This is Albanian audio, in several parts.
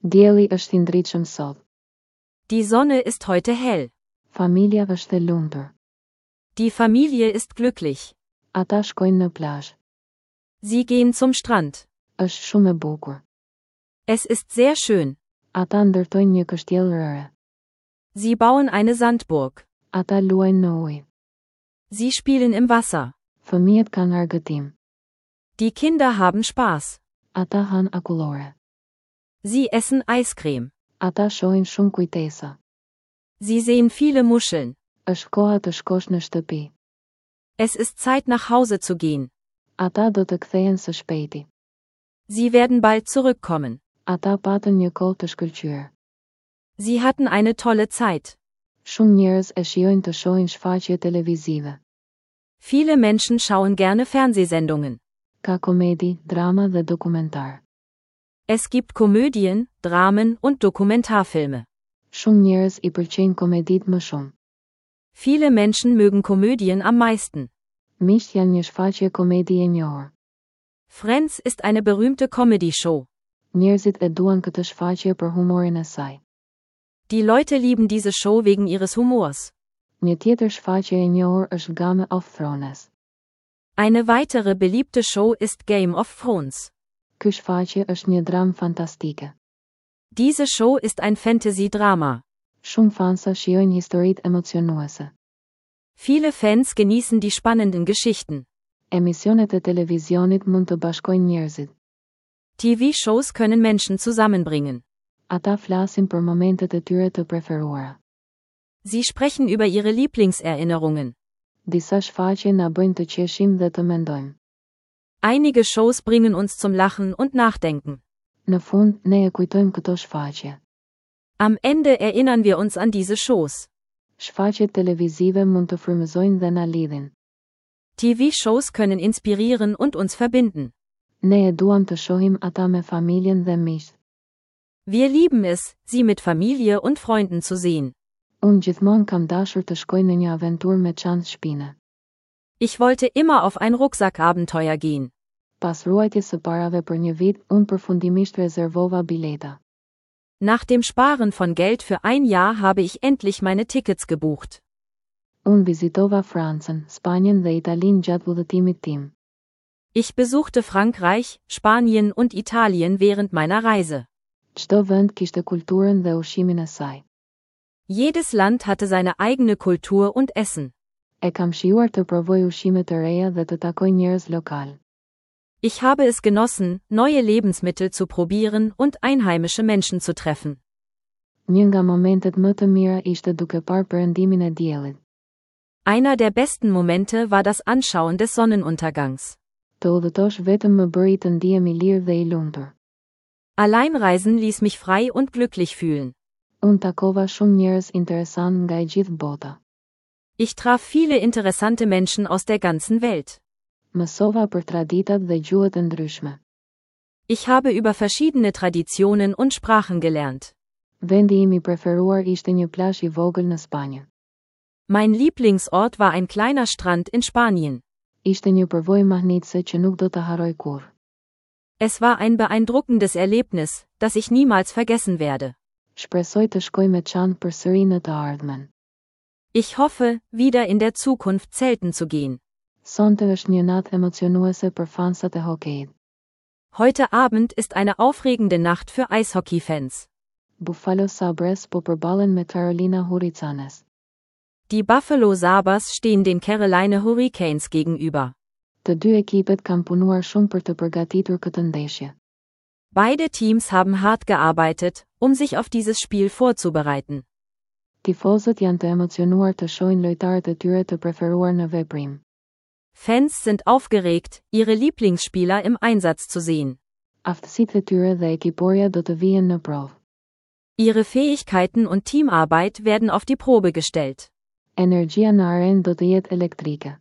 Dielli është i ndritshëm sot. Die Sonne ist heute hell. Familja është e lumtur. Die Familie ist glücklich. Ata shkojnë në plazh. Sie gehen zum Strand. Është shumë e bukur. Es ist sehr schön. Ata ndërtojnë një kështjellë rëre. Sie bauen eine Sandburg. Ata luajnë në ujë. Sie spielen im Wasser. Fëmijët kanë argëtim. Die Kinder haben Spaß. Ata hanë akullore. Sie essen Eiscreme. Ata shohin shumë kujtesa. Sie sehen viele Muscheln. Është koha të shkosh në shtëpi. Es ist Zeit nach Hause zu gehen. Ata do të kthehen së shpejti. Sie werden bald zurückkommen. Ata patën një kohë të shkëlqyer. Sie hatten eine tolle Zeit. Shumë njerëz e shijojnë të shohin shfaqje televizive. Viele Menschen schauen gerne Fernsehsendungen. Ka komedi, drama dhe dokumentar. Es gibt Komödien, Dramen und Dokumentarfilme. Shumë njerëz i pëlqejnë komeditë më shumë. Viele Menschen mögen Komödien am meisten. Miqtë janë një shfaqje komedi e njohur. Friends ist eine berühmte Comedy-Show. Njerëzit e duan këtë shfaqje për humorin e saj. Die Leute lieben diese Show wegen ihres Humors. Një tjetër shfaqje e njohur është Game of Thrones. Eine weitere beliebte Show ist Game of Thrones. Ky shfaqje është një dramë fantastike. Diese Show ist ein Fantasy-Drama. Shumë fansa shijojnë historitë emocionuese. Viele Fans genießen die spannenden Geschichten. Emisionet e televizionit mund të bashkojnë njerëzit. TV-Shows können Menschen zusammenbringen. Ata flasin për momentet e tyre të preferuara. Sie sprechen über ihre Lieblingserinnerungen. Disa shfaqje na bëjnë të qeshim dhe të mendojmë. Einige Shows bringen uns zum Lachen und Nachdenken. Në fund, ne e kujtojmë këto shfaqje. Am Ende erinnern wir uns an diese Shows. Shfaqjet televizive mund të frymëzojnë dhe na lidhin. TV-Shows können inspirieren und uns verbinden. Ne e duam të shohim ata me familjen dhe miqtë. Wir lieben es, sie mit Familie und Freunden zu sehen. Unë gjithmonë kam dashur të shkoj në një aventurë me çantë shpine. Ich wollte immer auf ein Rucksackabenteuer gehen. Pas ruajtjes së parave për një vit, unë përfundimisht rezervova bileta. Nach dem Sparen von Geld für ein Jahr habe ich endlich meine Tickets gebucht. Unë vizitova Francën, Spanjën dhe Italinë gjatë udhëtimit tim. Ich besuchte Frankreich, Spanien und Italien während meiner Reise. Çdo vend kishte kulturën dhe ushqimin e saj. Jedes Land hatte seine eigene Kultur und Essen. E kam shijuar të provoj ushqime të reja dhe të takoj njerëz lokalë. Ich habe es genossen, neue Lebensmittel zu probieren und einheimische Menschen zu treffen. Një nga momentet më të mira ishte duke parë perëndimin e diellit. Einer der besten Momente war das Anschauen des Sonnenuntergangs. Të udhëtosh vetëm më bëri të ndihem i lirë dhe i lumtur. Alleinreisen ließ mich frei und glücklich fühlen. Unë takova shumë njerëz interesantë nga e gjithë bota. Ich traf viele interessante Menschen aus der ganzen Welt. Mësova për traditat dhe gjuhët e ndryshme. Ich habe über verschiedene Traditionen und Sprachen gelernt. Vendi im i preferuar ishte një plazh i vogël në Spanjë. Mein Lieblingsort war ein kleiner Strand in Spanien. Ishte një përvojë mahnitëse që nuk do ta harroj kurrë. Es war ein beeindruckendes Erlebnis, das ich niemals vergessen werde. Shpresoj të shkoj me çantë përsëri në të ardhmen. Ich hoffe, wieder in der Zukunft zelten zu gehen. Sonte është një natë emocionuese për fansat e hokejit. Heute Abend ist eine aufregende Nacht für Eishockey-Fans. Buffalo Sabres po përballen me Carolina Hurricanes. Die Buffalo Sabres stehen den Carolina Hurricanes gegenüber. Të dy ekipet kanë punuar shumë për të përgatitur këtë ndeshje. Beide Teams haben hart gearbeitet, um sich auf dieses Spiel vorzubereiten. Tifozët janë të emocionuar të shohin lojtarët e tyre të preferuar në veprim. Fans sind aufgeregt, ihre Lieblingsspieler im Einsatz zu sehen. Aftësitë e tyre dhe ekiporja do të vihen në provë. Ihre Fähigkeiten und Teamarbeit werden auf die Probe gestellt. Energjia në arenë do të jetë elektrike.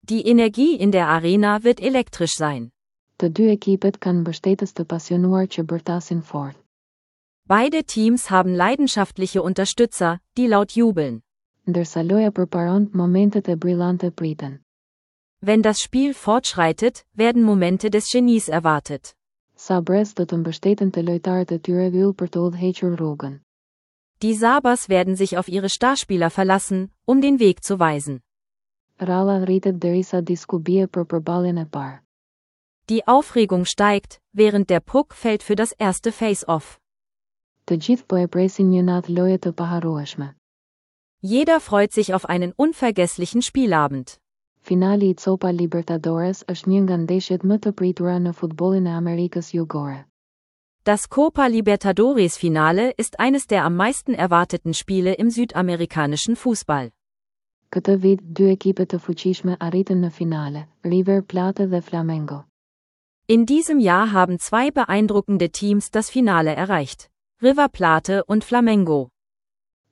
Die Energie in der Arena wird elektrisch sein. Të dy ekipet kanë mbështetës të pasionuar që bërtasin fort. Beide Teams haben leidenschaftliche Unterstützer, die laut jubeln. Ndërsa loja përparon, momentet e brillante priten. Wenn das Spiel fortschreitet, werden Momente des Genies erwartet. Sabres do të mbështeten te lojtarët e tyre yll për të udhëhequr rrugën. Die Sabres werden sich auf ihre Starspieler verlassen, um den Weg zu weisen. Ralla rritet derisa disku bie për përballjen e parë. Die Aufregung steigt, während der Puck fällt für das erste Face-Off. Të gjithë po e presin një natë loje të paharrueshme. Jeder freut sich auf einen unvergesslichen Spielabend. Finali i Copa Libertadores është një nga ndeshjet më të pritura në futbollin e Amerikës Jugore. Das Copa Libertadores Finale ist eines der am meisten erwarteten Spiele im südamerikanischen Fußball. Këtë vit, dy ekipe të fuqishme arritën në finale, River Plate dhe Flamengo. In diesem Jahr haben zwei beeindruckende Teams das Finale erreicht. River Plate und Flamengo.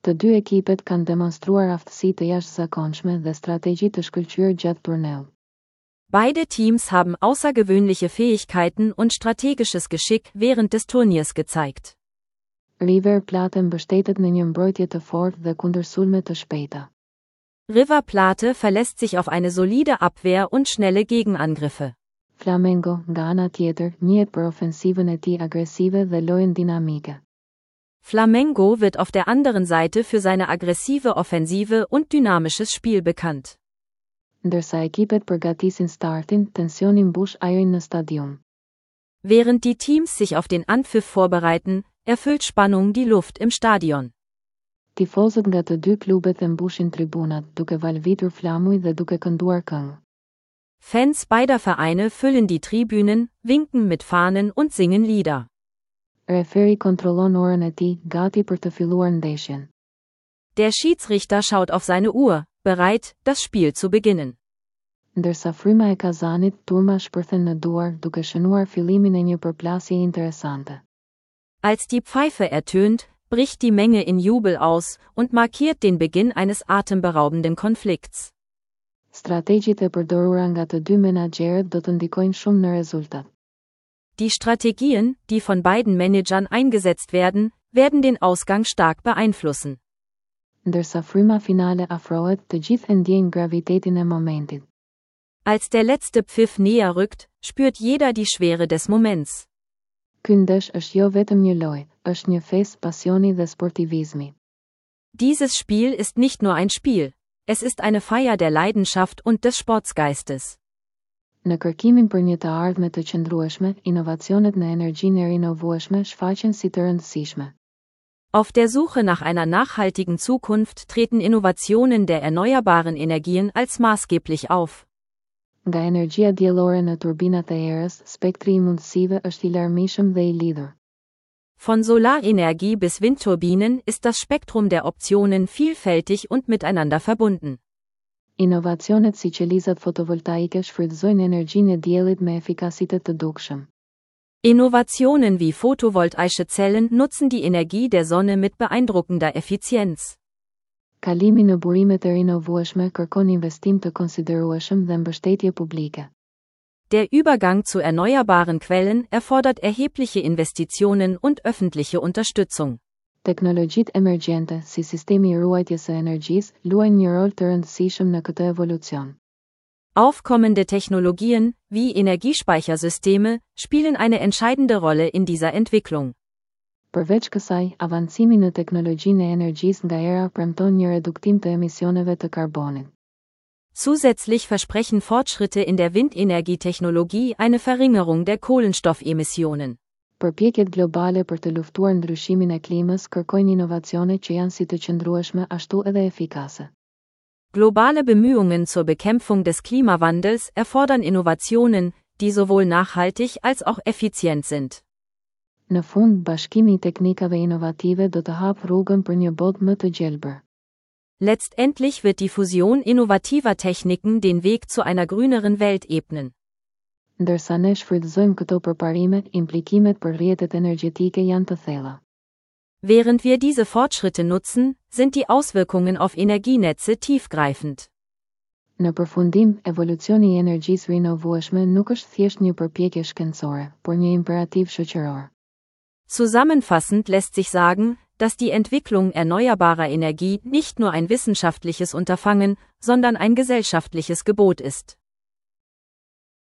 Të dy ekipet kanë demonstruar aftësi të jashtëzakonshme dhe strategji të shkëlqyer gjatë turneut. Beide Teams haben außergewöhnliche Fähigkeiten und strategisches Geschick während des Turniers gezeigt. River Plate mbështetet në një mbrojtje të fortë dhe kundërsulme të shpejta. River Plate verlässt sich auf eine solide Abwehr und schnelle Gegenangriffe. Flamengo, nga ana tjetër, njihet për ofensivën e tij agresive dhe lojën dinamike. Flamengo wird auf der anderen Seite für seine aggressive Offensive und dynamisches Spiel bekannt. Ndërsa ekipet përgatisin startin, tensioni mbush ajrin në stadium. Während die Teams sich auf den Anpfiff vorbereiten, erfüllt Spannung die Luft im Stadion. Tifozët nga të dy klubet e mbushin tribunat, duke valvitur flamuj dhe duke kënduar këngë. Fans beider Vereine füllen die Tribünen, winken mit Fahnen und singen Lieder. Referi kontrollon orën e tij, gati për të filluar ndeshjen. Der Schiedsrichter schaut auf seine Uhr, bereit, das Spiel zu beginnen. Ndërsa fryma e kazanit, turma shpërthen në duar, duke shënuar fillimin e një përplasje interesante. Als die Pfeife ertönt, bricht die Menge in Jubel aus und markiert den Beginn eines atemberaubenden Konflikts. Strategjitë e përdorura nga të dy menaxherët do të ndikojnë shumë në rezultat. Die Strategien, die von beiden Managern eingesetzt werden, werden den Ausgang stark beeinflussen. Ndërsa fryma finale afrohet, të gjithë e ndjejnë gravitetin e momentit. Als der letzte Pfiff näher rückt, spürt jeder die Schwere des Moments. Ky ndesh është jo vetëm një lojë, është një festë pasioni dhe sportivizmi. Dieses Spiel ist nicht nur ein Spiel, es ist eine Feier der Leidenschaft und des Sportsgeistes. Në kërkimin për një të ardhme të qëndrueshme, inovacionet në energjinë e rinovueshme shfaqen si të rëndësishme. Auf der Suche nach einer nachhaltigen Zukunft treten Innovationen der erneuerbaren Energien als maßgeblich auf. Nga energjia diellore në turbinat e erës, spektri i mundësive është i larmishëm dhe i lidhur. Von Solarenergie bis Windturbinen ist das Spektrum der Optionen vielfältig und miteinander verbunden. Inovacionet si qelizat fotovoltaike shfrytëzojnë energjinë e diellit me efikasitet të dukshëm. Innovationen wie photovoltaische Zellen nutzen die Energie der Sonne mit beeindruckender Effizienz. Kalimi në burimet e rinovueshme kërkon investim të konsiderueshëm dhe mbështetje publike. Der Übergang zu erneuerbaren Quellen erfordert erhebliche Investitionen und öffentliche Unterstützung. Teknologjitë emergjente, si sistemi i ruajtjes së energjisë, luajnë një rol të rëndësishëm në këtë evolucion. Aufkommende Technologien, wie Energiespeichersysteme, spielen eine entscheidende Rolle in dieser Entwicklung. Përveç kësaj, avancimi në teknologjinë e energjisë nga era premton një reduktim të emisioneve të karbonit. Zusätzlich versprechen Fortschritte in der Windenergietechnologie eine Verringerung der Kohlenstoffemissionen. Përpjekjet globale për të luftuar ndryshimin e klimës kërkojnë inovacione që janë si të qëndrueshme ashtu edhe efikase. Globale Bemühungen zur Bekämpfung des Klimawandels erfordern Innovationen, die sowohl nachhaltig als auch effizient sind. Në fund, bashkimi i teknikave inovative do të hapë rrugën për një botë më të gjelbër. Letztendlich wird die Fusion innovativer Techniken den Weg zu einer grüneren Welt ebnen. Ndërsa ne shfrytëzojmë këto përparime, implikimet për rrjetet energjetike janë të thella. Während wir diese Fortschritte nutzen, sind die Auswirkungen auf Energienetze tiefgreifend. Në përfundim, evolucioni i energjisë rinovueshme nuk është thjesht një përpjekje shkencore, por një imperativ shoqëror. Zusammenfassend lässt sich sagen, dass die Entwicklung erneuerbarer Energie nicht nur ein wissenschaftliches Unterfangen, sondern ein gesellschaftliches Gebot ist.